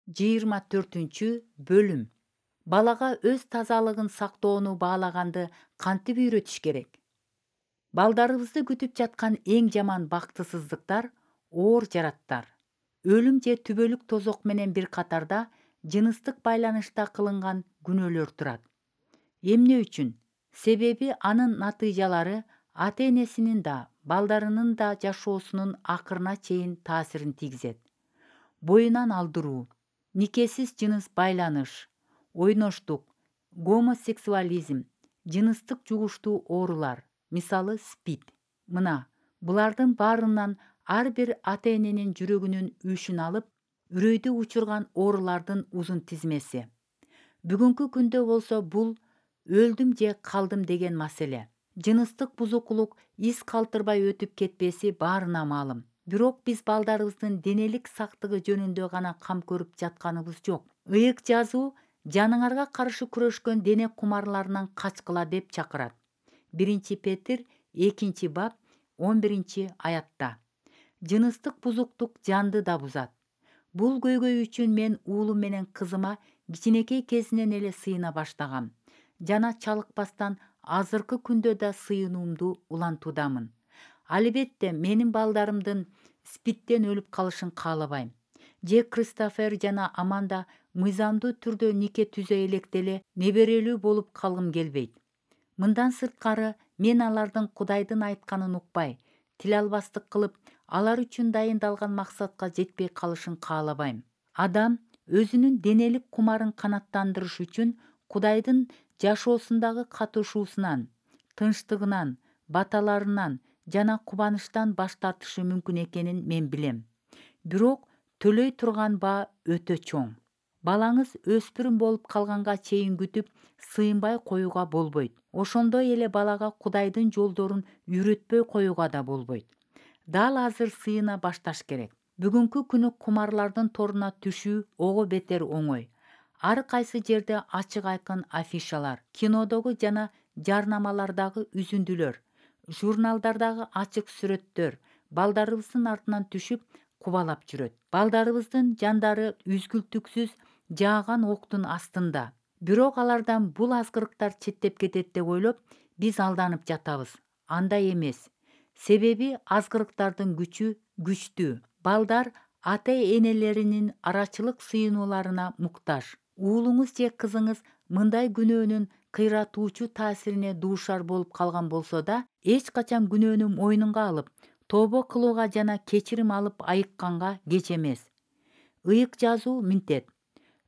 24 бөлүм. Балага өз тазалыгын сактоону баалаганды кантип үйрөтүш керек? Балдарыбызды күтүп жаткан эң жаман бактысыздыктар оор жараттар. Өлүм же түбөлүк тозок менен бир катарда жыныстык байланышта кылынган күнөөлөр турат. Эмне үчүн? Себеби анын натыйжалары ата-энесинин да, балдарынын да жашоосунун акырына чейин таасирин тийгизет. Боюнан алдыруу, никесиз жыныс байланыш, ойноштук, гомосексуализм, жыныстык жугуштуу оорулар, мисалы СПИД. Мына, булардын баарынан ар бир ата-эненин жүрөгүнүн үшүн алып, үрөйдү учурган оорулардын узун тизмеси. Бүгүнкү күндө болсо бул өлдүм же калдым деген маселе. Жыныстык бузукулук из калтырбай өтүп кетпеси баарына маалым. Бирок биз балдарыбыздын денелик сактыгы жөнүндө гана кам көрүп жатканыбыз жок. Ыйык жазуу жаныңарга каршы күрөшкөн дене кумарларынан качкыла деп чакырат. 1 Петр 2-бап 11-аятта. Жыныстык бузуктук жанды да бузат. Бул көйгөй үчүн мен уулум менен кызыма кичинекей кезинен эле сыйына баштагам. Жана чалыкпастан азыркы күндө да сыйынуумду улантуудамын. Албетте, менин балдарымдын СПИДтен өлүп калышын каалабайм. Же Кристофер жана Аманда мыйзамдуу түрдө нике түзө электе эле неберелүү болуп калгым келбейт. Мындан сырткары, мен алардын Кудайдын айтканын укпай, тил албастык кылып, алар үчүн дайындалган максатка жетпей калышын каалабайм. Адам өзүнүн денелик кумарын канааттандырыш үчүн Кудайдын жашоосундагы катышуусунан, тынчтыгынан, баталарынан жана кубанычтан баш тартышы мүмкүн экенин мен билем. Бирок төлөй турган баа өтө чоң. Балаңыз өспүрүм болуп калганга чейин күтүп, сыйынбай коюуга болбойт. Ошондой эле балага Кудайдын жолдорун үйрөтпөй коюуга да болбойт. Дал азыр сыйына башташ керек. Бүгүнкү күнү кумарлардын торуна түшүү ого бетер оңой. Ар кайсы жерде ачык айкын афишалар, кинодогу жана жарнамалардагы үзүндүлөр, журналдардагы ачык сүрөттөр балдарыбыздын артынан түшүп, кубалап жүрөт. Балдарыбыздын жандары үзгүлтүксүз жааган октун астында. Бирок алардан бул азгырыктар четтеп кетет деп ойлоп, биз алданып жатабыз. Андай эмес. Себеби азгырыктардын күчү күчтүү. Балдар ата-энелеринин арачылык сыйынууларына муктаж. Уулуңуз же кызыңыз мындай күнөөнүн кыйратуучу таасирине дуушар болуп калган болсо да, эч качан күнөөнү мойнунга алып, тобо кылууга жана кечирим алып айыкканга кеч эмес. Ыйык жазуу мынтет.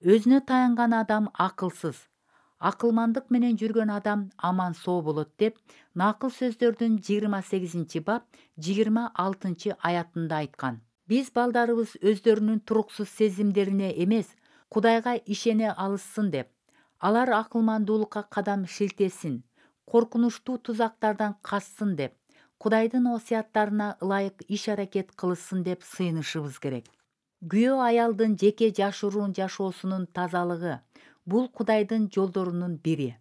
Өзүнө таянган адам акылсыз. Акылмандык менен жүргөн адам аман соо болот деп Накыл сөздөрдүн 28-бап 26-аятында айткан. Биз балдарыбыз өздөрүнүн туруксуз сезимдерине эмес, Кудайга ишене алышсын деп, алар акылмандуулукка кадам шилтесин, коркунучтуу тузактардан качсын деп, Кудайдын осуяттарына ылайык иш-аракет кылышсын деп сыйынышыбыз керек. Күйөө аялдын жеке жашыруун жашоосунун тазалыгы бул Кудайдын жолдорунун бири.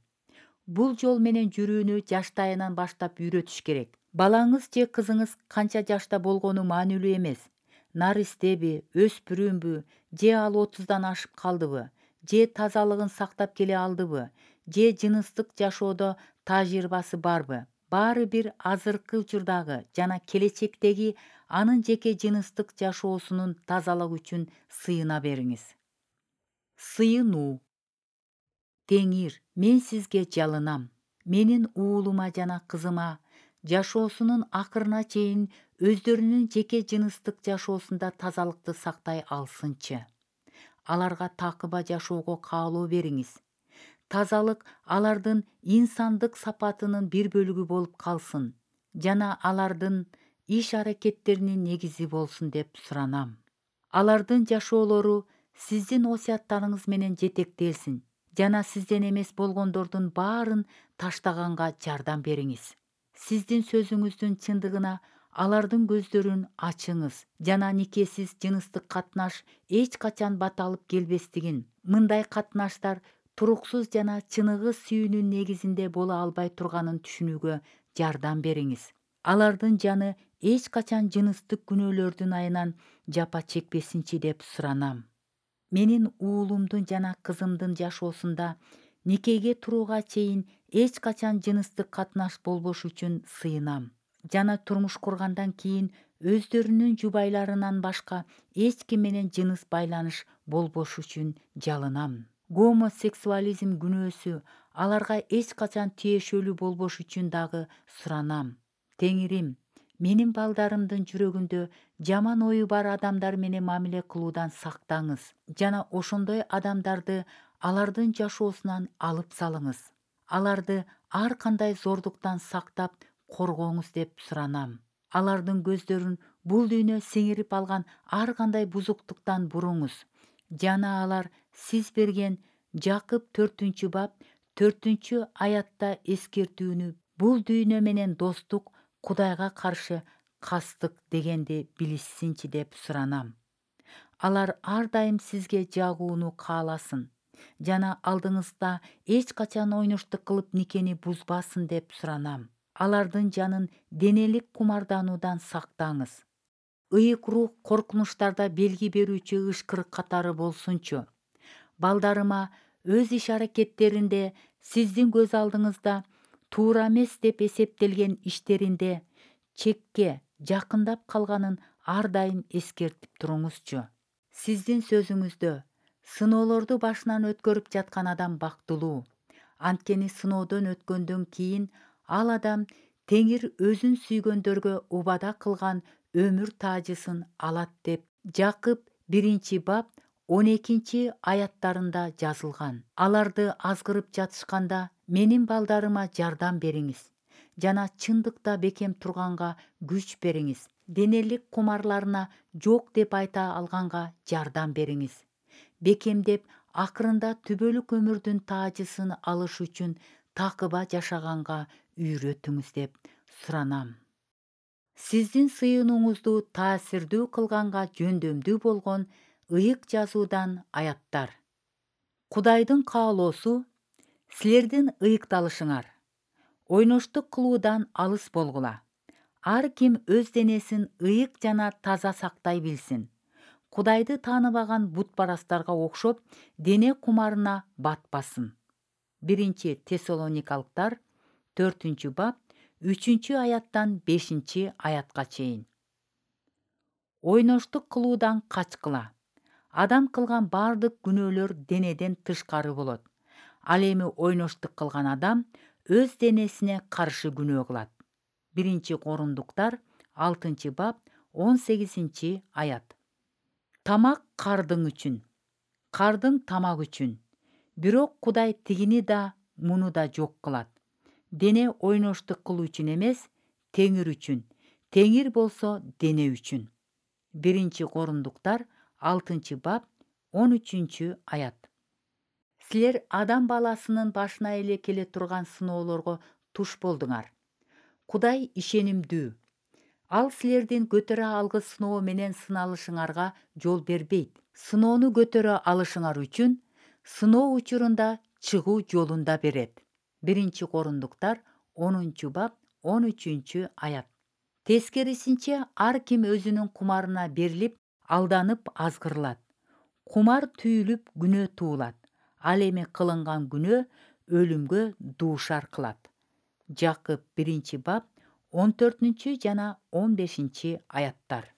Бул жол менен жүрүүнү жаштайынан баштап үйрөтүш керек. Балаңыз же кызыңыз канча жашта болгону маанилүү эмес. Наристеби, өспүрүмбү, же ал 30-дан ашып калдыбы, же тазалыгын сактап келе алдыбы, же жыныстык жашоодо тажрыйбасы барбы? Баары бир азыркы учурдагы жана келечектеги анын жеке жыныстык жашоосунун тазалыгы үчүн сыйына бериңиз. Сыйынуу. Теңир, мен сизге жалынам. Менин уулума жана кызыма жашоосунун акырына чейин өздөрүнүн жеке жыныстык жашоосунда тазалыкты сактай алсынчы. Аларга такыба жашоого каалоо бериңиз. Тазалык алардын инсандык сапатынын бир бөлүгү болуп калсын жана алардын иш-аракеттеринин негизи болсун деп суранам. Алардын жашоолору сиздин осуяттарыңыз менен жетектелсин жана сизден эмес болгондордун баарын таштаганга жардам бериңиз. Сиздин сөзүңүздүн чындыгына алардын көздөрүн ачыңыз жана никесиз жыныстык катнаш эч качан баталып келбестигин, мындай катнаштар туруксуз жана чыныгы сүйүүнүн негизинде боло албай турганын түшүнүүгө жардам бериңиз. Алардын жаны эч качан жыныстык күнөөлөрдүн айынан жапа чекпесинчи деп суранам. Менин уулумдун жана кызымдын жашоосунда никеге турууга чейин эч качан жыныстык катнаш болбош үчүн сыйынам жана турмуш кургандан кийин өздөрүнүн жубайларынан башка эч ким менен жыныс байланыш болбош үчүн жалынам. Гомосексуализм күнөөсү аларга эч качан тиешелүү болбош үчүн дагы суранам. Теңирим, менин балдарымдын жүрөгүндө жаман ою бар адамдар менен мамиле кылуудан сактаңыз жана ошондой адамдарды алардын жашоосунан алып салыңыз. Аларды ар кандай зордуктан сактап коргооңуз деп суранам. Алардын көздөрүн бул дүйнө сиңирип алган ар кандай бузуктуктан буруңуз жана алар сиз берген Жакып 4-бап 4-аятта эскертүүнү бул дүйнө менен достук Кудайга каршы кастык дегенди билишсинчи деп суранам. Алар ар дайым сизге жагууну кааласын жана алдыңызда эч качан ойноштук кылып никени бузбасын деп суранам. Алардын жанын денелик кумардануудан сактаңыз. Ыйык рух коркунучтарда белги берүүчү ышкырык катары болсунчу. Балдарыма өз иш-аракеттеринде сиздин көз алдыңызда туура эмес деп эсептелген иштеринде чекке жакындап калганын ар дайым эскертип туруңузчу. Сиздин сөзүңүздө сыноолорду башынан өткөрүп жаткан адам бактылуу. Анткени сыноодон өткөндөн кийин ал адам Теңир өзүн сүйгөндөргө убада кылган өмүр таажысын алат деп Жакып 1-бап 12-аяттарында жазылган. Аларды азгырып жатышканда менин балдарыма жардам бериңиз жана чындыкта бекем турганга күч бериңиз. Денелик кумарларына жок деп айта алганга жардам бериңиз. Бекемдеп акырында түбөлүк өмүрдүн таажысын алыш үчүн такыба жашаганга үйрөтүңүз деп суранам. Сиздин сыйынууңузду таасирдүү кылганга жөндөмдүү болгон ыйык жазуудан аяттар. Кудайдын каалоосу силердин ыйыкталышыңар. Ойноштук кылуудан алыс болгула. Ар ким өз денесин ыйык жана таза сактай билсин. Кудайды тааныбаган бутпарастарга окшоп, дене кумарына батпасын. 1-Тессалоникалыктар 4-бап 3-аяттан 5-аятка чейин. Ойноштук кылуудан качкыла. Адам кылган бардык күнөөлөр денеден тышкары болот. Ал эми ойноштук кылган адам өз денесине каршы күнөө кылат. 1-Корундуктар 6-бап 18-аят. Тамак кардың үчүн, кардың тамак үчүн. Бирок Кудай тигини да, муну да жок кылат. Дене ойноштук кылуу үчүн эмес, Теңир үчүн. Теңир болсо дене үчүн. 1-Корундуктар 6-бап 13-аят. Силер адам баласынын башына эле келе турган сыноолорго туш болдуңар. Кудай ишенимдүү. Ал силердин көтөрө алгыс сыноо менен сыналышыңарга жол бербейт. Сыноону көтөрө алышыңар үчүн сыноо учурунда чыгуу жолун да берет. 1-Корундуктар 10-бап 13-аят. Тескерисинче ар ким өзүнүн кумарына берилип, алданып азгырылат. Кумар түйүлүп күнөө туулат. Ал эми кылынган күнөө өлүмгө дуушар кылат. Жакып 1-бап 14 жана 15-аяттар.